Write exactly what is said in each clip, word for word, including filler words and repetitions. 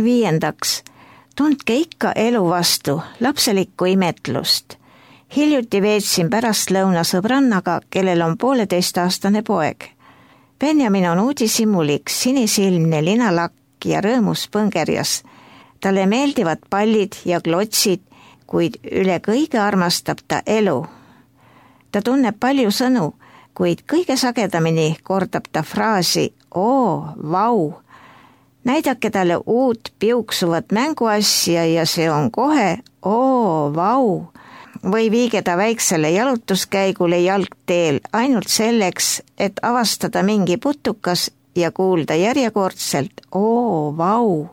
Viiendaks, tundke ikka elu vastu lapselikku imetlust. Hiljuti veetsin pärastlõuna sõbrannaga, kellel on pooleteistaastane poeg. Benjamin on uudishimulik, sinisilmne linalakk ja rõõmus põngerjas. Talle meeldivad pallid ja klotsid, kuid üle kõige armastab ta elu. Ta tunneb palju sõnu, kuid kõige sagedamini kordab ta fraasi oo, vau. Näidake talle uut piuksuvat mänguasja ja see on kohe oo, vau. Või viige ta väiksele jalutuskäigule jalgteel ainult selleks, et avastada mingi putukas ja kuulda järjekordselt oo, vau.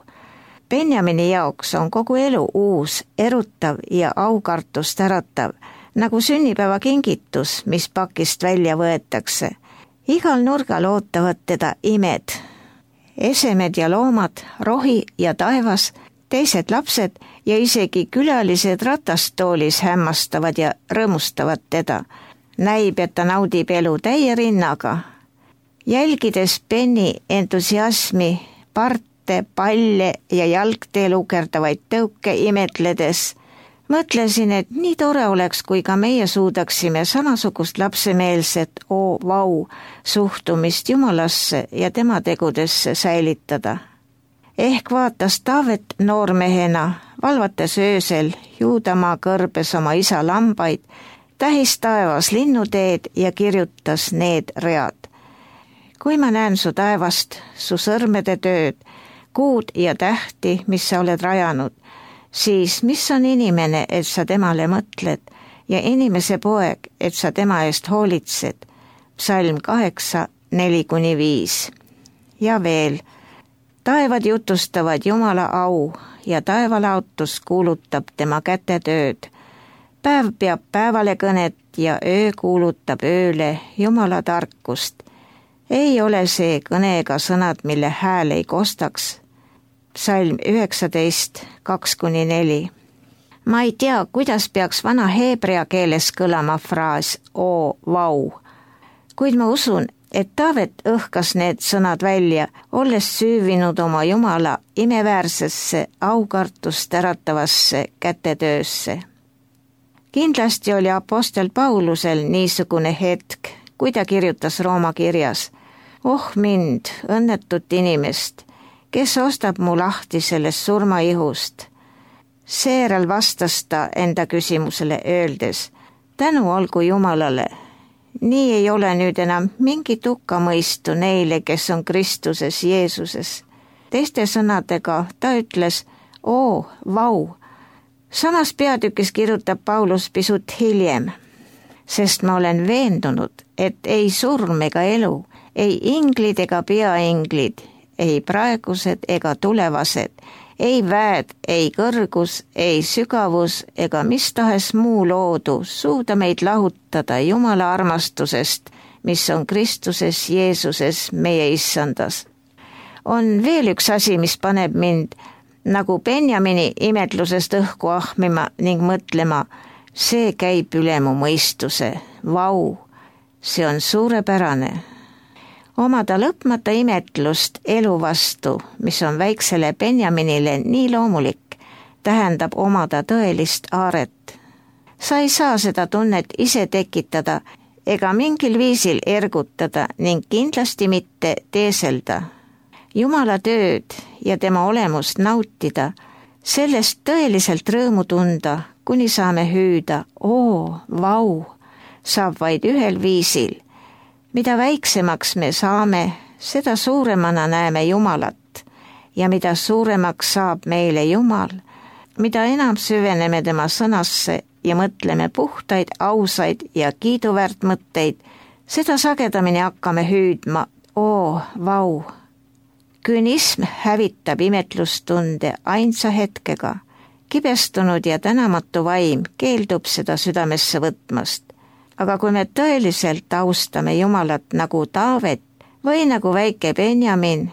Benjamini jaoks on kogu elu uus, erutav ja aukartust äratav, nagu sünnipäevakingitus, mis pakist välja võetakse. Igal nurgal ootavad teda imed. Esemed ja loomad, rohi ja taevas, teised lapsed ja isegi külalised ratastoolis hämmastavad ja rõõmustavad teda. Näib, et ta naudib elu täie rinnaga. Jälgides Benni entusiasmi, parte, palle ja jalgteel ukerdavaid tõuke imetledes, mõtlesin, et nii tore oleks, kui ka meie suudaksime samasugust lapsemeelset oo, vau suhtumist Jumalasse ja tema tegudesse säilitada. Ehk vaatas Taavet noormehena, valvates öösel Juudamaa kõrbes oma isa lambaid, tähis taevas linnuteed ja kirjutas need read. Kui ma näen su taevast, su sõrmede tööd, kuud ja tähti, mis sa oled rajanud, siis mis on inimene, et sa temale mõtled, ja inimese poeg, et sa tema eest hoolitsed. Psalm kaheksa, neli kuni viis. Ja veel, taevad jutustavad Jumala au ja taevalaotus kuulutab tema kätetööd. Päev peab päevale kõnet ja öö kuulutab ööle Jumala tarkust. Ei ole see kõne ega sõnad, mille hääl ei kostaks. Psalm üheksateist, kaks kuni neli. Ma ei tea, kuidas peaks vana heebrea keeles kõlama fraas oo, vau. Kuid ma usun, et Taavet õhkas need sõnad välja, olles süüvinud oma Jumala imeväärsesse aukartust äratavasse kätetöösse. Kindlasti oli apostel Paulusel niisugune hetk, kui ta kirjutas Rooma kirjas: oh mind, õnnetut inimest, kes ostab mu lahti sellest surmaihust. Seejärel vastas ta enda küsimusele öeldes: tänu olgu Jumalale. Nii ei ole nüüd enam mingit hukkamõistu neile, kes on Kristuses Jeesuses. Teiste sõnadega ta ütles oo, vau. Samas peatükis kirjutab Paulus pisut hiljem: sest ma olen veendunud, et ei surm ega elu, ei inglid ega peainglid, ei praegused ega tulevased, ei väed, ei kõrgus, ei sügavus ega mis tahes muu loodu suuda meid lahutada Jumala armastusest, mis on Kristuses Jeesuses meie issandas. On veel üks asi, mis paneb mind nagu Benjamini imetlusest õhku ahmima ning mõtlema: see käib üle mu mõistuse, vau, see on suurepärane. Omada lõpmata imetlust elu vastu, mis on väiksele Benjaminile nii loomulik, tähendab omada tõelist aaret. Sa ei saa seda tunnet ise tekitada ega mingil viisil ergutada ning kindlasti mitte teeselda. Jumala tööd ja tema olemust nautida, sellest tõeliselt rõõmu tunda, kuni saame hüüda oo, vau, saab vaid ühel viisil. Mida väiksemaks me saame, seda suuremana näeme Jumalat ja mida suuremaks saab meile Jumal, mida enam süveneme tema sõnasse ja mõtleme puhtaid, ausaid ja kiiduväärt mõtteid, seda sagedamini hakkame hüüdma oo, vau. Künism hävitab imetlustunde ainsa hetkega. Kibestunud ja tänamatu vaim keeldub seda südamesse võtmast. Aga kui me tõeliselt austame Jumalat nagu Taavet või nagu väike Benjamin,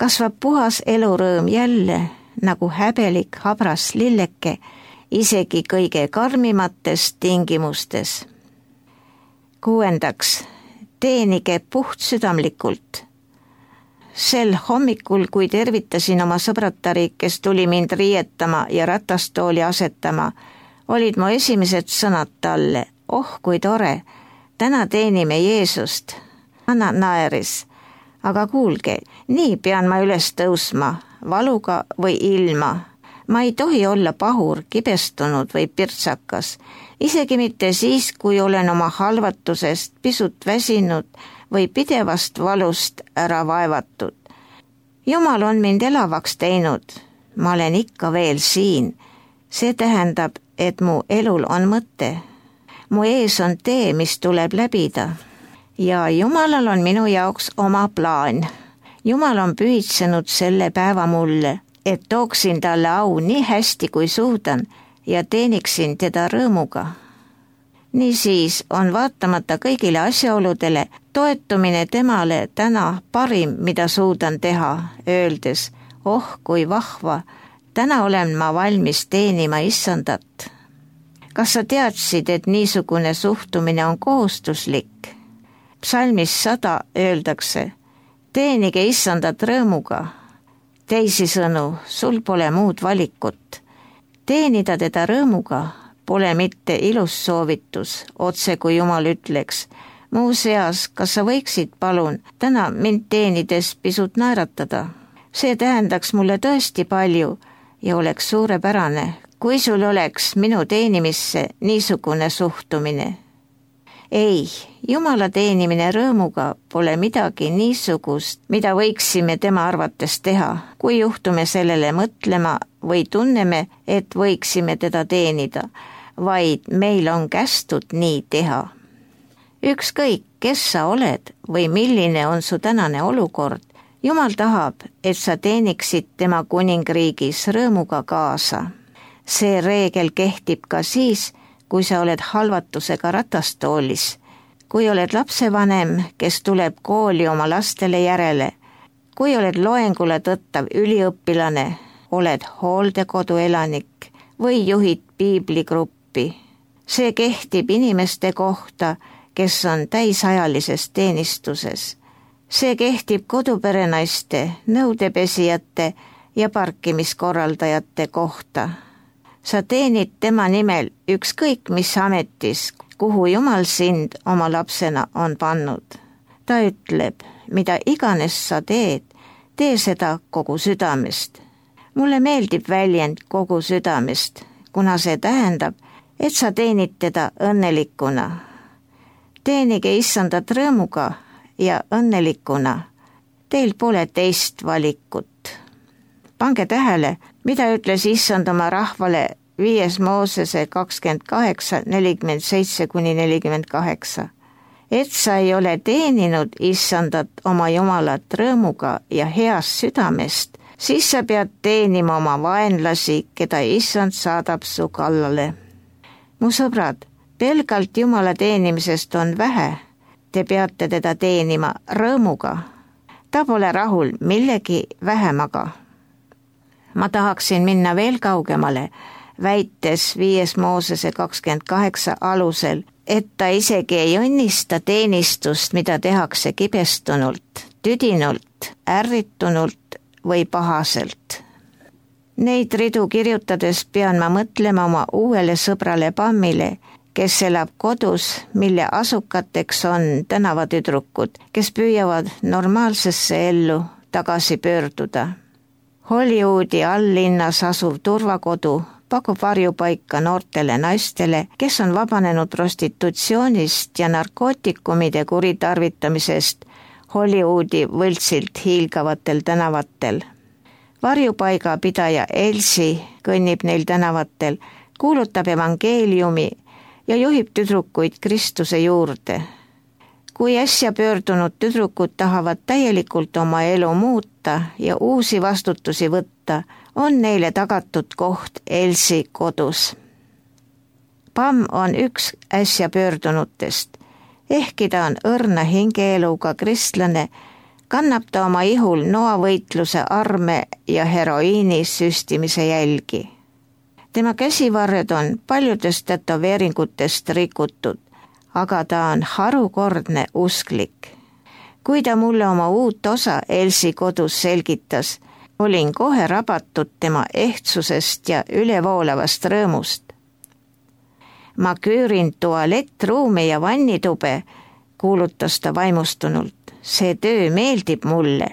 kasvab puhas elurõõm jälle nagu häbelik habras lilleke, isegi kõige karmimates tingimustes. Kuuendaks, teenige puhtsüdamlikult. Sel hommikul, kui tervitasin oma sõbratari, kes tuli mind riietama ja ratastooli asetama, olid mu esimesed sõnad talle. Oh, kui tore, täna teenime Jeesust. Anna naeris. Aga kuulge, nii pean ma üles tõusma, valuga või ilma. Ma ei tohi olla pahur, kibestunud või pirtsakas, isegi mitte siis, kui olen oma halvatusest pisut väsinud või pidevast valust ära vaevatud. Jumal on mind elavaks teinud, ma olen ikka veel siin. See tähendab, et mu elul on mõte. Mu ees on tee, mis tuleb läbida. Ja Jumalal on minu jaoks oma plaan. Jumal on pühitsenud selle päeva mulle, et tooksin talle au nii hästi kui suudan ja teeniksin teda rõõmuga. Niisiis on vaatamata kõigile asjaoludele toetumine temale täna parim, mida suudan teha, öeldes, oh kui vahva, täna olen ma valmis teenima Issandat. Kas sa teadsid, et niisugune suhtumine on kohustuslik? Psalmis sada öeldakse, teenige Issandat rõõmuga. Teisisõnu, sul pole muud valikut. Teenida teda rõõmuga pole mitte ilus soovitus, otse kui Jumal ütleks. Muuseas, kas sa võiksid palun täna mind teenides pisut naeratada? See tähendaks mulle tõesti palju ja oleks suurepärane, kui sul oleks minu teenimisse niisugune suhtumine. Ei, Jumala teenimine rõõmuga pole midagi niisugust, mida võiksime tema arvates teha, kui juhtume sellele mõtlema või tunneme, et võiksime teda teenida, vaid meil on kästud nii teha. Ükskõik, kes sa oled või milline on su tänane olukord, Jumal tahab, et sa teeniksid tema kuningriigis rõõmuga kaasa. See reegel kehtib ka siis, kui sa oled halvatusega ratastoolis, kui oled lapsevanem, kes tuleb kooli oma lastele järele, kui oled loengule tõttav üliõpilane, oled hooldekodu elanik või juhid piibligruppi. See kehtib inimeste kohta, kes on täisajalises teenistuses. See kehtib koduperenaiste, nõudepesijate ja parkimiskorraldajate kohta. Sa teenid tema nimel ükskõik mis ametis, kuhu Jumal sind oma lapsena on pannud. Ta ütleb, mida iganes sa teed, tee seda kogu südamest. Mulle meeldib väljend kogu südamest, kuna see tähendab, et sa teenid teda õnnelikuna. Teenige Issandat rõõmuga ja õnnelikuna. Teil pole teist valikut. Pange tähele, mida ütles Issand oma rahvale viies Moosese kakskümmend kaheksa, nelikümmend seitse kuni nelikümmend kaheksa. Et sa ei ole teeninud Issandat oma Jumalat rõõmuga ja heast südamest, siis sa pead teenima oma vaenlasi, keda Issand saadab su kallale. Mu sõbrad, pelgalt Jumala teenimisest on vähe. Te peate teda teenima rõõmuga. Ta pole rahul millegi vähemaga. Ma tahaksin minna veel kaugemale, väites viies Moosese kakskümmend kaheksa alusel, et ta isegi ei õnnista teenistust, mida tehakse kibestunult, tüdinult, ärritunult või pahaselt. Neid ridu kirjutades pean ma mõtlema oma uuele sõbrale Pammile, kes elab kodus, mille asukateks on tänavatüdrukud, kes püüavad normaalsesse ellu tagasi pöörduda. Hollywoodi alllinnas asuv turvakodu pakub varjupaika noortele naistele, kes on vabanenud prostitutsioonist ja narkootikumide kuritarvitamisest Hollywoodi võltsilt hiilgavatel tänavatel. Varjupaiga pidaja Elsi kõnnib neil tänavatel, kuulutab evangeeliumi ja juhib tüdrukuid Kristuse juurde. Kui äsja pöördunud tüdrukud tahavad täielikult oma elu muuta ja uusi vastutusi võtta, on neile tagatud koht Elsi kodus. Pam on üks äsja pöördunutest. Ehkki ta on õrna hingeeluga kristlane, kannab ta oma ihul noavõitluse arme ja heroiini süstimise jälgi. Tema käsivarred on paljudest tätoveeringutest rikutud, aga ta on harukordne usklik. kui ta mulle oma uut osa Elsi kodus selgitas, olin kohe rabatud tema ehtsusest ja ülevoolavast rõõmust. Ma küürin tualettruumi ja vannitube, kuulutas ta vaimustunult. See töö meeldib mulle.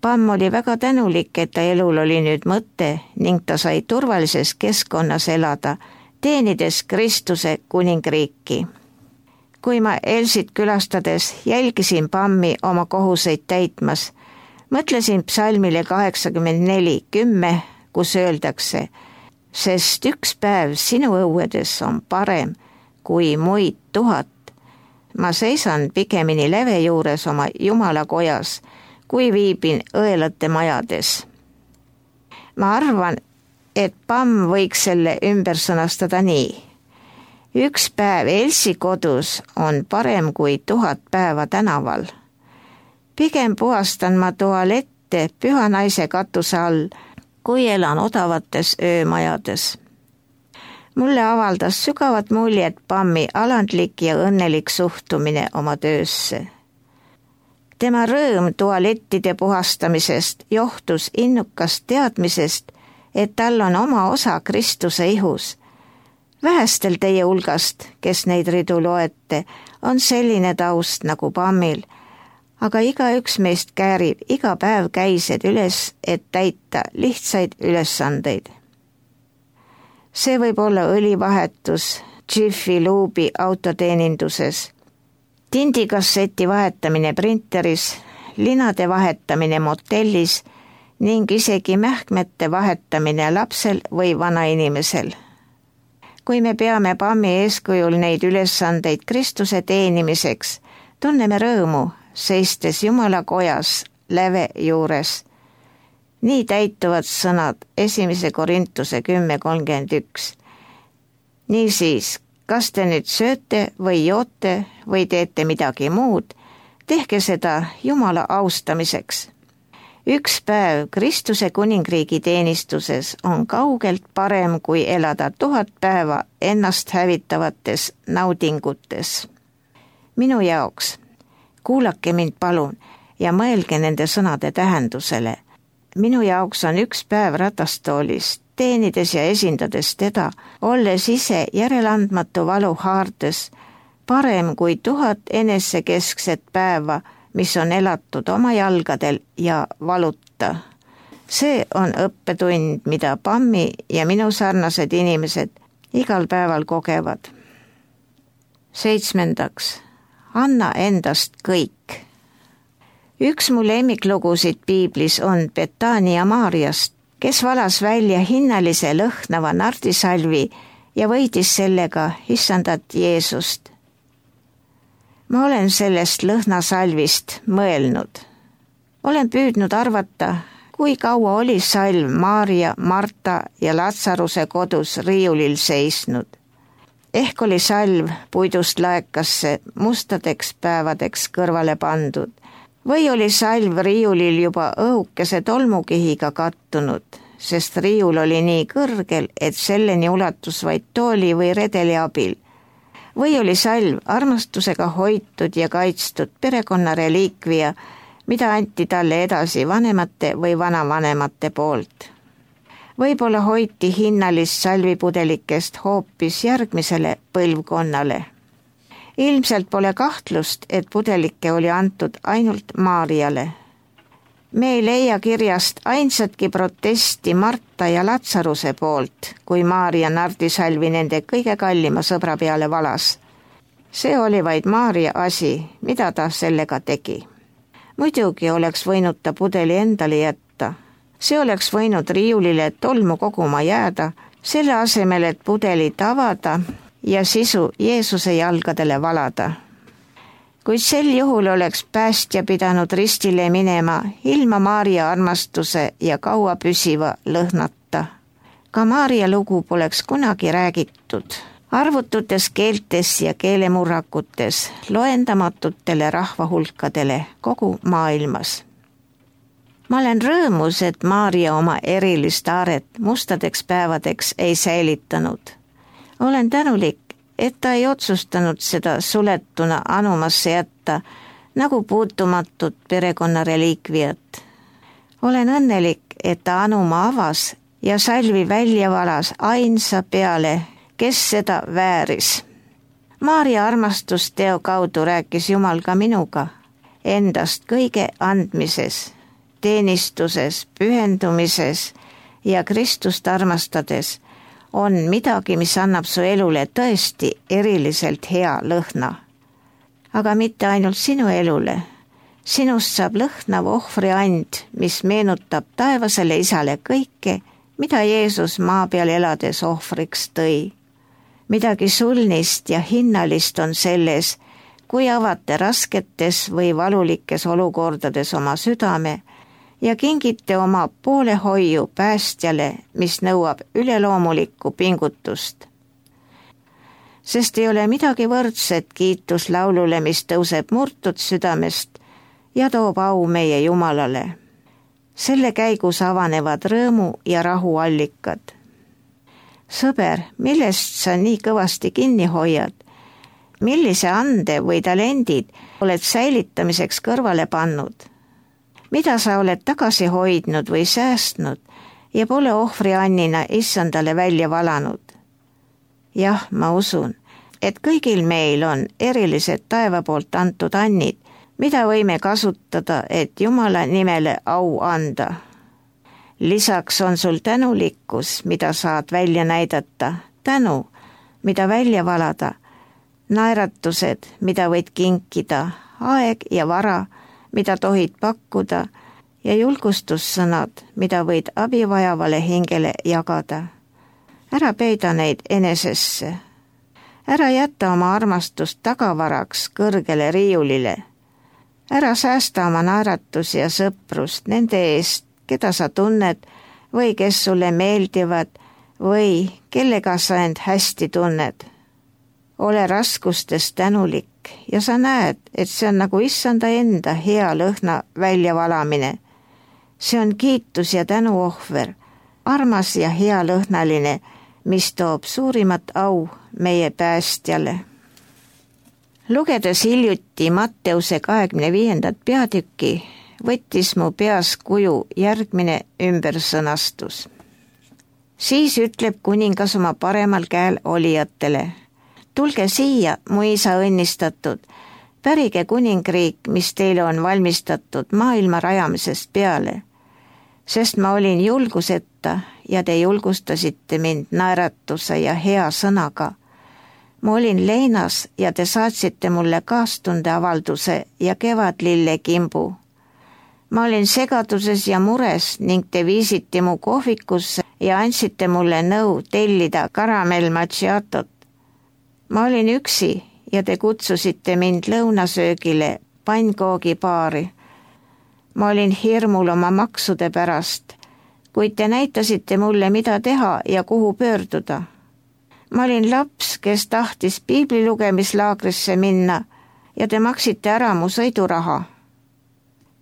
Pamm oli väga tänulik, et ta elul oli nüüd mõte ning ta sai turvalises keskkonnas elada, teenides Kristuse kuningriiki. Kui ma Elsit külastades jälgisin Pammi oma kohuseid täitmas, mõtlesin psalmile kaheksakümmend neli kümme, kus öeldakse, sest üks päev sinu õuedes on parem kui muid tuhat. Ma seisan pigemini läve juures oma Jumala kojas, kui viibin õelate majades. Ma arvan, et Pamm võiks selle ümber sõnastada nii. Üks päev Elsi kodus on parem kui tuhat päeva tänaval. Pigem puhastan ma tualette püha naise katuse all, kui elan odavates öömajades. Mulle avaldas sügavat muljet Pammi alandlik ja õnnelik suhtumine oma töösse. Tema rõõm tualettide puhastamisest johtus innukast teadmisest, et tal on oma osa Kristuse ihus. Vähestel teie hulgast, kes neid ridu loete, on selline taust nagu Pammil, aga igaüks meist käärib iga päev käised üles, et täita lihtsaid ülesandeid. See võib olla õlivahetus Jiffy Lube'i autoteeninduses, tindikasseti vahetamine printeris, linade vahetamine motellis ning isegi mähkmete vahetamine lapsel või vanainimesel. Kui me peame Pammi eeskujul neid ülesandeid Kristuse teenimiseks, tunneme rõõmu, seistes Jumala kojas läve juures. Nii täituvad sõnad esimese Korintuse kümme kolmkümmend üks. Niisiis, kas te nüüd sööte või joote või teete midagi muud, tehke seda Jumala austamiseks. Üks päev Kristuse kuningriigi teenistuses on kaugelt parem, kui elada tuhat päeva ennast hävitavates naudingutes. Minu jaoks, kuulake mind palun ja mõelge nende sõnade tähendusele. Minu jaoks on üks päev ratastoolis, teenides ja esindades teda, olles ise järeleandmatu valu haardes, parem kui tuhat enesekeskset päeva, mis on elatud oma jalgadel ja valuta. See on õppetund, mida Pammi ja minu sarnased inimesed igal päeval kogevad. Seitsmendaks, anna endast kõik. Üks mu lemmiklugusid piiblis on Betania Maariast, kes valas välja hinnalise lõhnava nardisalvi ja võidis sellega issandat Jeesust. Ma olen sellest lõhnasalvist mõelnud. Olen püüdnud arvata, kui kaua oli salv Maaria, Marta ja Latsaruse kodus riiulil seisnud. Ehk oli salv puidust laekasse mustadeks päevadeks kõrvale pandud. Või oli salv riiulil juba õhukese tolmukihiga kattunud, sest riiul oli nii kõrgel, et selleni ulatus vaid tooli või redeli abil. Või oli salv armastusega hoitud ja kaitstud perekonna reliikvia, mida anti talle edasi vanemate või vanavanemate poolt. Võib-olla hoiti hinnalist salvipudelikest hoopis järgmisele põlvkonnale. Ilmselt pole kahtlust, et pudelike oli antud ainult Maariale. Me ei leia kirjast ainsatki protesti Marta ja Latsaruse poolt, kui Maaria nardisalvi nende kõige kallima sõbra peale valas. See oli vaid Maaria asi, mida ta sellega tegi. Muidugi oleks võinud ta pudeli endale jätta. See oleks võinud riiulile tolmu koguma jääda, selle asemel, et pudelit avada ja sisu Jeesuse jalgadele valada. Kuid sel juhul oleks päästja pidanud ristile minema ilma Maaria armastuse ja kaua püsiva lõhnata. Ka Maaria lugu poleks kunagi räägitud. Arvututes keeltes ja keelemurrakutes loendamatutele rahvahulkadele kogu maailmas. Ma olen rõõmus, et Maaria oma erilist aaret mustadeks päevadeks ei säilitanud. Olen tänulik, et ta ei otsustanud seda suletuna anumasse jätta, nagu puutumatud perekonna reliikviat. olen õnnelik, et ta anuma avas ja salvi välja valas ainsa peale, kes seda vääris. Maarja armastusteo kaudu rääkis Jumal ka minuga endast kõige andmises, teenistuses, pühendumises ja Kristust armastades on midagi, mis annab su elule tõesti eriliselt hea lõhna. Aga mitte ainult sinu elule. Sinust saab lõhnav ohvriand, mis meenutab taevasele Isale kõike, mida Jeesus maa peal elades ohvriks tõi. Midagi sulnist ja hinnalist on selles, kui avate rasketes või valulikes olukordades oma südame ja kingite oma poolehoiu päästjale, mis nõuab üleloomulikku pingutust. Sest ei ole midagi võrdset kiituslaulule, mis tõuseb murtud südamest ja toob au meie Jumalale. Selle käigus avanevad rõõmu ja rahu allikad. Sõber, millest sa nii kõvasti kinni hoiad? Millise ande või talendid oled säilitamiseks kõrvale pannud? Mida sa oled tagasi hoidnud või säästnud ja pole ohvriannina issandale välja valanud? Jah, ma usun, et kõigil meil on erilised taeva poolt antud annid, mida võime kasutada, et Jumala nimele au anda. Lisaks on sul tänulikkus, mida saad välja näidata, tänu, mida välja valada, naeratused, mida võid kinkida, aeg ja vara, mida tohid pakkuda ja julgustussõnad, mida võid abivajavale hingele jagada. Ära peida neid enesesse. Ära jätta oma armastust tagavaraks kõrgele riiulile. Ära säästa oma naeratusi ja sõprust nende eest, keda sa tunned või kes sulle meeldivad või kellega sa end hästi tunned. Ole raskustes tänulik ja sa näed, et see on nagu issanda enda hea lõhna väljavalamine. See on kiitus ja tänuohver, armas ja hea lõhnaline, mis toob suurimat au meie päästjale. Lugedes hiljuti Matteuse kahekümne viiendat peatükki, võttis mu peas kuju järgmine ümbersõnastus. Siis ütleb kuningas oma paremal käel olijatele: tulge siia, mu isa õnnistatud, pärige kuningriik, mis teile on valmistatud maailma rajamisest peale, sest ma olin julguseta ja te julgustasite mind naeratuse ja hea sõnaga. Ma olin leinas ja te saatsite mulle kaastundeavalduse ja kevadlille kimbu. Ma olin segaduses ja mures ning te viisite mu kohvikusse ja andsite mulle nõu tellida karamell macchiatot. Ma olin üksi ja te kutsusite mind lõunasöögile pannkoogibaari. Ma olin hirmul oma maksude pärast, kuid te näitasite mulle, mida teha ja kuhu pöörduda. Ma olin laps, kes tahtis piiblilugemislaagrisse minna ja te maksite ära mu sõiduraha.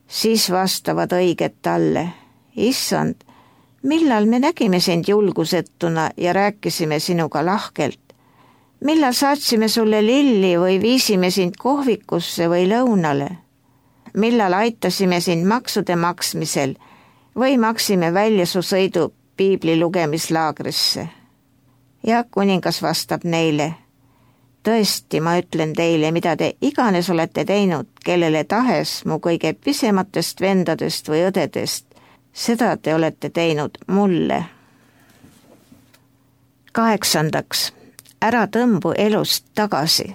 Siis vastavad õiged talle: issand, millal me nägime sind julgusetuna ja rääkisime sinuga lahkelt? Millal saatsime sulle lilli või viisime sind kohvikusse või lõunale? Millal aitasime sind maksude maksmisel või maksime välja su sõidu piibli lugemislaagrisse? Ja kuningas vastab neile: tõesti, ma ütlen teile, mida te iganes olete teinud, kellele tahes mu kõige pisematest vendadest või õdedest, seda te olete teinud mulle. Kaheksandaks, ära tõmbu elust tagasi.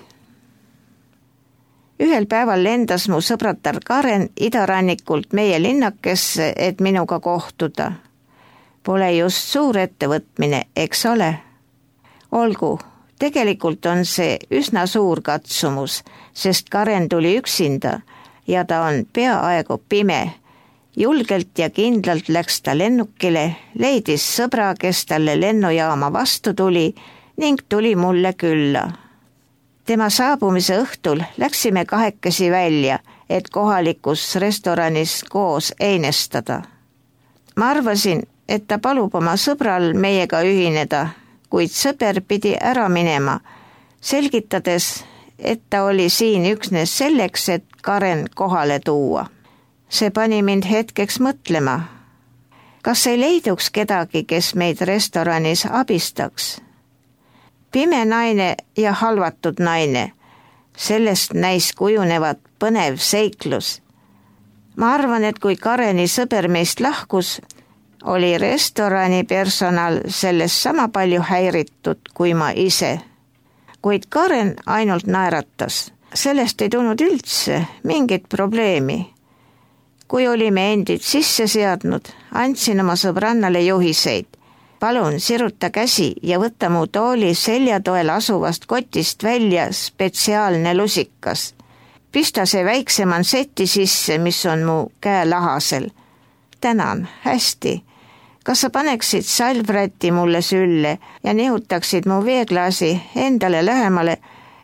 Ühel päeval lendas mu sõbratar Karen idarannikult meie linnakesse, et minuga kohtuda. Pole just suur ettevõtmine, eks ole? Olgu, tegelikult on see üsna suur katsumus, sest Karen tuli üksinda ja ta on peaaegu pime. Julgelt ja kindlalt läks ta lennukile, leidis sõbra, kes talle lennujaama vastu tuli ning tuli mulle külla. Tema saabumise õhtul läksime kahekesi välja, et kohalikus restoranis koos einestada. Ma arvasin, et ta palub oma sõbral meiega ühineda, kuid sõber pidi ära minema, selgitades, et ta oli siin üksnes selleks, et Karen kohale tuua. See pani mind hetkeks mõtlema. Kas ei leiduks kedagi, kes meid restoranis abistaks? Pime naine ja halvatud naine. Sellest näis kujunevat põnev seiklus. Ma arvan, et kui Kareni sõber meist lahkus, oli restorani personal sellest sama palju häiritud kui ma ise. Kuid Karen ainult naeratas. Sellest ei tulnud üldse mingit probleemi. Kui olime endid sisse seadnud, andsin oma sõbrannale juhiseid. Palun siruta käsi ja võta mu tooli seljatoel asuvast kotist välja spetsiaalne lusikas. Pista see väikse manseti sisse, mis on mu käe lahasel. Tänan, hästi. Kas sa paneksid salvräti mulle sülle ja nihutaksid mu veeklaasi endale lähemale,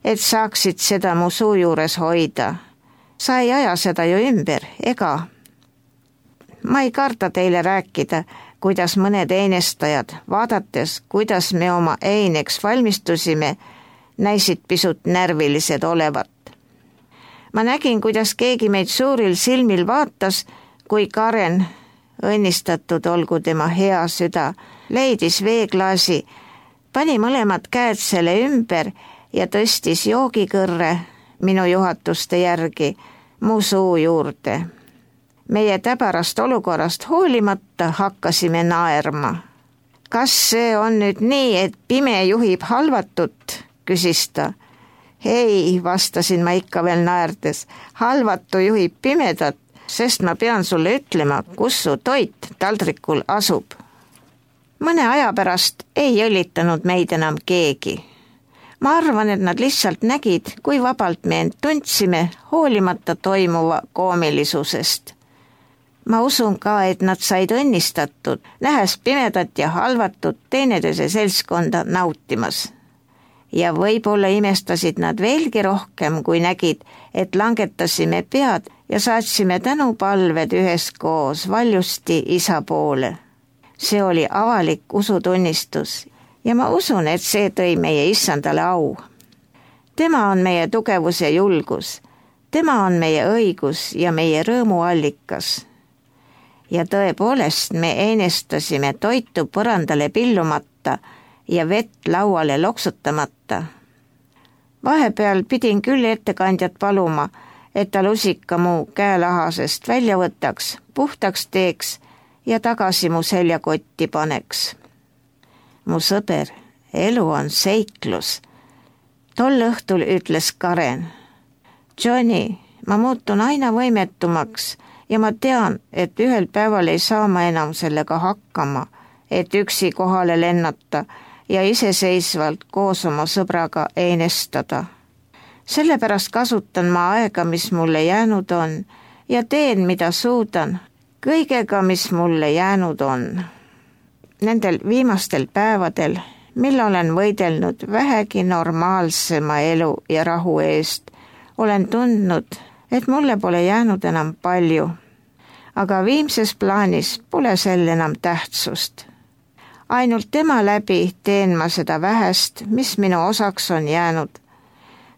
et saaksid seda mu suu juures hoida? Sa ei aja seda ju ümber, ega? Ma ei karda teile rääkida, kuidas mõned einestajad, vaadates, kuidas me oma eineks valmistusime, näisid pisut närvilised olevat. Ma nägin, kuidas keegi meid suuril silmil vaatas, kui Karen, õnnistatud olgu tema hea süda, leidis veeklaasi, pani mõlemad käed selle ümber ja tõstis joogikõrre minu juhatuste järgi mu suu juurde. Meie täbarast olukorrast hoolimata hakkasime naerma. Kas see on nüüd nii, et pime juhib halvatut, küsis ta. Ei, vastasin ma ikka veel naerdes, halvatu juhib pimedat, sest ma pean sulle ütlema, kus su toit taldrikul asub. Mõne aja pärast ei õlitanud meid enam keegi. Ma arvan, et nad lihtsalt nägid, kui vabalt me end tundsime, hoolimata toimuva koomilisusest. Ma usun ka, et nad said õnnistatud, nähes pimedat ja halvatut teineteise seltskonda nautimas. Ja võib-olla imestasid nad veelgi rohkem, kui nägid, et langetasime pead ja saatsime tänupalved üheskoos valjusti isa poole. See oli avalik usutunnistus ja ma usun, et see tõi meie issandale au. Tema on meie tugevus ja julgus, tema on meie õigus ja meie rõõmuallikas. Ja tõepoolest me einestasime toitu põrandale pillumata ja vett lauale loksutamata. Vahepeal pidin küll ettekandjat paluma, et ta lusika mu käelahasest välja võtaks, puhtaks teeks ja tagasi mu seljakotti paneks. Mu sõber, elu on seiklus. Tol õhtul ütles Karen. Johnny, ma muutun aina võimetumaks ja ma tean, et ühel päeval ei saa ma enam sellega hakkama, et üksi kohale lennata ja iseseisvalt koos oma sõbraga einestada. Sellepärast kasutan ma aega, mis mulle jäänud on ja teen, mida suudan, kõigega, mis mulle jäänud on. Nendel viimastel päevadel, mil olen võidelnud vähegi normaalsema elu ja rahu eest, olen tundnud, et mulle pole jäänud enam palju, aga viimses plaanis pole sel enam tähtsust. Ainult tema läbi teen ma seda vähest, mis minu osaks on jäänud.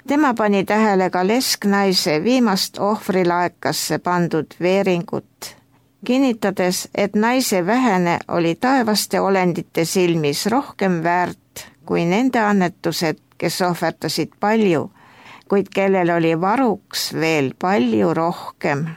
Tema pani tähele ka lesknaise viimast ohvrilaekasse pandud veeringut, kinnitades, et naise vähene oli taevaste olendite silmis rohkem väärt kui nende annetused, kes ohverdasid palju, kuid kellel oli varuks veel palju rohkem.